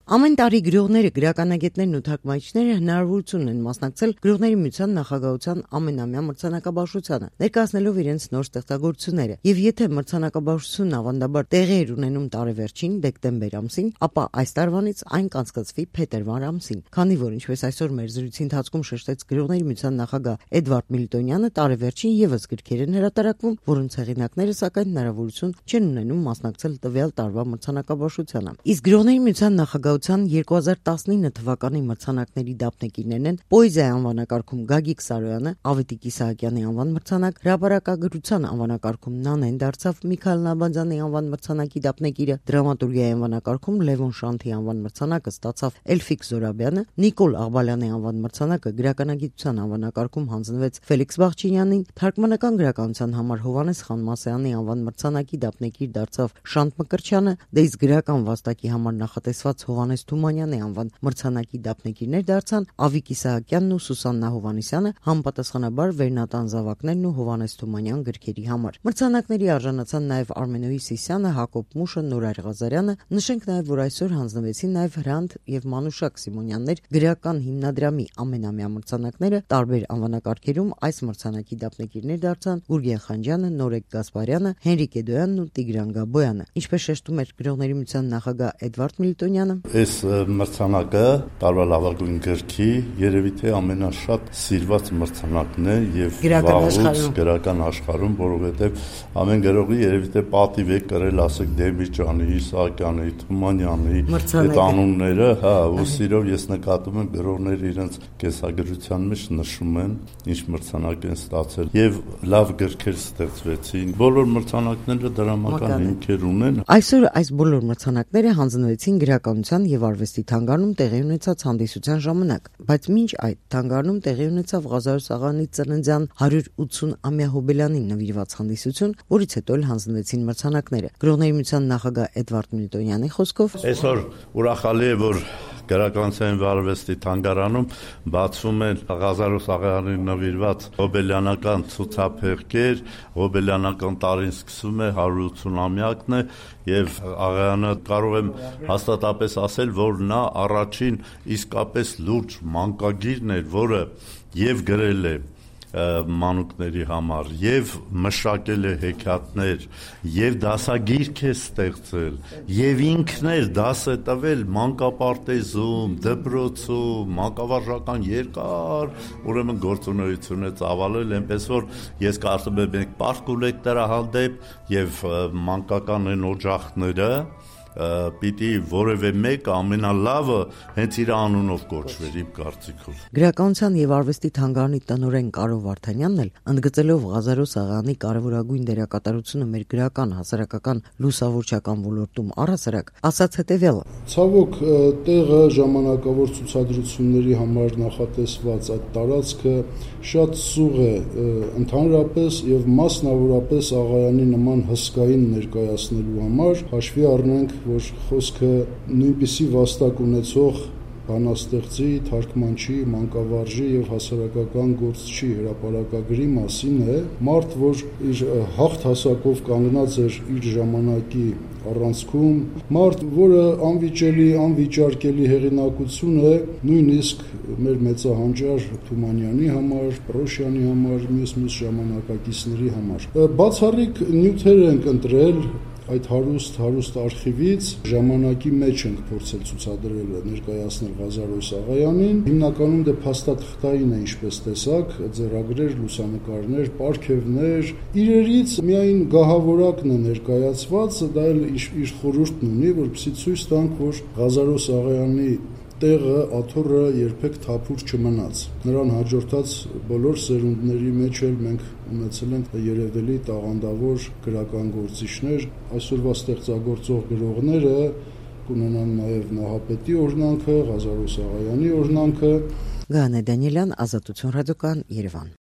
Ամեն տարի գրողները, գրականագետներն ու թարգմանիչները հնարավորություն են մասնակցել Գրողների միության նախագահության ամենամյա մրցանակաբաշխությանը, ներկայացնելով իրենց նոր ստեղծագործությունները։ Եվ եթե մրցանակաբաշխությունն ավանդաբար տեղի էր ունենում տարեվերջին դեկտեմբեր ամսին, ապա այս տարվանից այն կանցկացվի փետրվար ամսին, քանի որ ինչպես այսօր մեր զրույցի ընթացքում շեշտեց Գրողների միության նախագահ Էդվարդ Միլիտոնյանը, տարեվերջին եւս գրքեր են հրատարակվում, որոնց հեղինակները սակայն հնարավորություն չեն ունենում մասնակցել տվյալ տարվա մրցանակաբաշխությանը։ Իսկ Գրողների միության նախագահության 2019 թվականի մրցանակների դափնեկիրներն են պոեզիայի անվանակարգում Գագիկ Սարոյանը, Ավետիք Իսահակյանի անվան մրցանակ, հրապարակագրության անվանակարգում Նանեն դարձավ Միքայել Նալբանդյանի անվան մրցանակի դափնեկիրը, դրամատուրգիայի անվանակարգում Լևոն Շանթի անվան մրցանակը ստացավ Էլֆիկ Զորաբյանը, Նիկոլ Աղբալյանի անվան մրցանակը գրականագիտության անվանակարգում հանձնվեց Ֆելիքս Բաղչինյանին, թարգմանական գրականության համար Հովհաննես Խանմասյանի անվան մրցանակի դափնեկիր դարձավ Շանթ Մկրտչյանը, իսկ գրական վաստակի համար նախատեսված Հովհաննես Թումանյանի անվան մրցանակի դափնեկիրներ դարձան Ավիկ Իսահակյանն ու Սուսաննա Հովհաննիսյանը, համապատասխանաբար Վերնատան Զավակներն ու Հովհաննես Թումանյան գրքերի համար։ Մրցանակների արժանացան նաև Արմենոյի Սիսյանը, Հակոբ Մուշը, Նորայր Ղազարյանը։ Նշենք նաև, որ այսօր հանձնվեցին նաև Հրանտ եւ Մանուշակ Սիմոնյաններ գրական հիմնադրամի ամենամյա մրցանակները տարբեր անվանակարգերում այս մրցանակի դափնեկիրներ դարձան Գուրգեն Խանջյանը, Նորեկ Գասպարյանը, Հենրիկ Էդոյանն ու Տիգրան Գաբոյանը։ Ինչպես շեշտում էր Գրողների միության նախագահ Էդվարդ Միլիտոնյանը, այս մրցանակը տարվա լավագույն գրքի երևի թե ամենաշատ սիրված մրցանակն է եւ վաղուց գրական աշխարհում, որովհետեւ ամեն գրողի երևի թե պատիվ է կրել, ասեք Դեմիրճյանի, Իսահակյանի, Թումանյանի այդ անունները, ու սիրով ես նկատում եմ գրողները իրենց կեսագրության մեջ նշում են, ինչ մրցանակ են ստացել եւ լավ գրքեր ստեղծվեցին։ Բոլոր մրցանակները դրամական հիմքեր ունեն։ Այսօր այս բոլոր մրցանակները հանձնվեցին գրականության եւ արվեստի թանգարանում տեղի ունեցած հանդիսության ժամանակ, բայց մինչ այդ թանգարանում տեղի ունեցավ Ղազարոս Աղայանի ծննդյան 180-ամյա հոբելյանին նվիրված հանդիսություն, որից հետո էլ հանձնվեցին մրցանակները։ Գրողների միության նախագահ Էդվարդ Միլիտոնյանի խոսքով, այսօր ուրախալի է, որ Գրականության եւ արվեստի թանգարանում բացվում են Ղազարոս Աղայանին նվիրված հոբելյանական ցուցափեղկեր, հոբելյանական տարին սկսում է 180-ամյակն է եւ Աղայանը կարող եմ հաստատապես ասել, որ նա առաջին իսկապես լուրջ մանկագիրն էր, որը եւ գրել է մանուկների համար եւ մշակել է հեքիաթներ եւ դասագիրք է ստեղծել եւ ինքն էլ դաս է տվել մանկապարտեզում, դպրոցում, մանկավարժական երկար ուրեմն գործունեություն է ծավալել, այնպես որ ես կարծում եմ մենք պարկ ունենք դրա հանդեպ եւ մանկական են օջախները պիտի որևէ մեկը ամենալավը հենց իր անունով կոչվեր իմ կարծիքով։ Գրականության եւ արվեստի թանգարանի տնօրեն Կարո Վարդանյանն էլ ընդգծելով Ղազարոս Աղայանի կարևորագույն դերակատարությունը մեր գրական հասարակական լուսավորչական ոլորտում առհասարակ ասաց հետեւյալը. Ցավոք տեղը ժամանակավոր ցուցադրությունների համար նախատեսված այդ տարածքը շատ սուղ է ընդհանրապես եւ մասնավորապես Աղայանի նման հսկային ներկայացնելու համար, հաշվի առնենք, որ խոսքը նույնպիսի վաստակ ունեցող բանաստեղծի, թարգմանչի, մանկավարժի եւ հասարակական գործչի հրապարակագրի մասին է, մարդ, որ իր հաղթ հասակով կանգնած էր իր ժամանակի առանցքում, մարդ, որը անվիճելի, անվիճարկելի հեղինակություն է նույնիսկ մեր մեծահանջար Թումանյանի համար, Պրոշյանի համար, մյուս ժամանակակիցների համար։ Բացառիկ նյութեր ենք ընտրել այդ հարուստ արխիվից, ժամանակի մեջ ենք փորձել ցուցադրել, ներկայացնել Ղազարոս Աղայանին, հիմնականում դե փաստաթղթային է, ինչպես տեսակ, ձեռագրեր, լուսանկարներ, պարգևներ, իրերից միայն գահավորակն է ներկայացված, դա էլ իր խորհուրդն ունի, որպեսզի ցույց տանք, որ Ղազարոս Աղայանի տեղը, աթոռը երբեք թափուր չմնաց։ Նրան հաջորդած բոլոր սերունդների մեջ էլ մենք ունեցել ենք երևելի տաղանդավոր գրական գործիչներ, այսօրվա ստեղծագործող գրողները կունենան նաև Նահապետի օրհնանքը, Ղազարոս Աղայանի օրհնանքը։ Գանե Դանիելյան, Ազատություն ռադիոկայան, Երևան։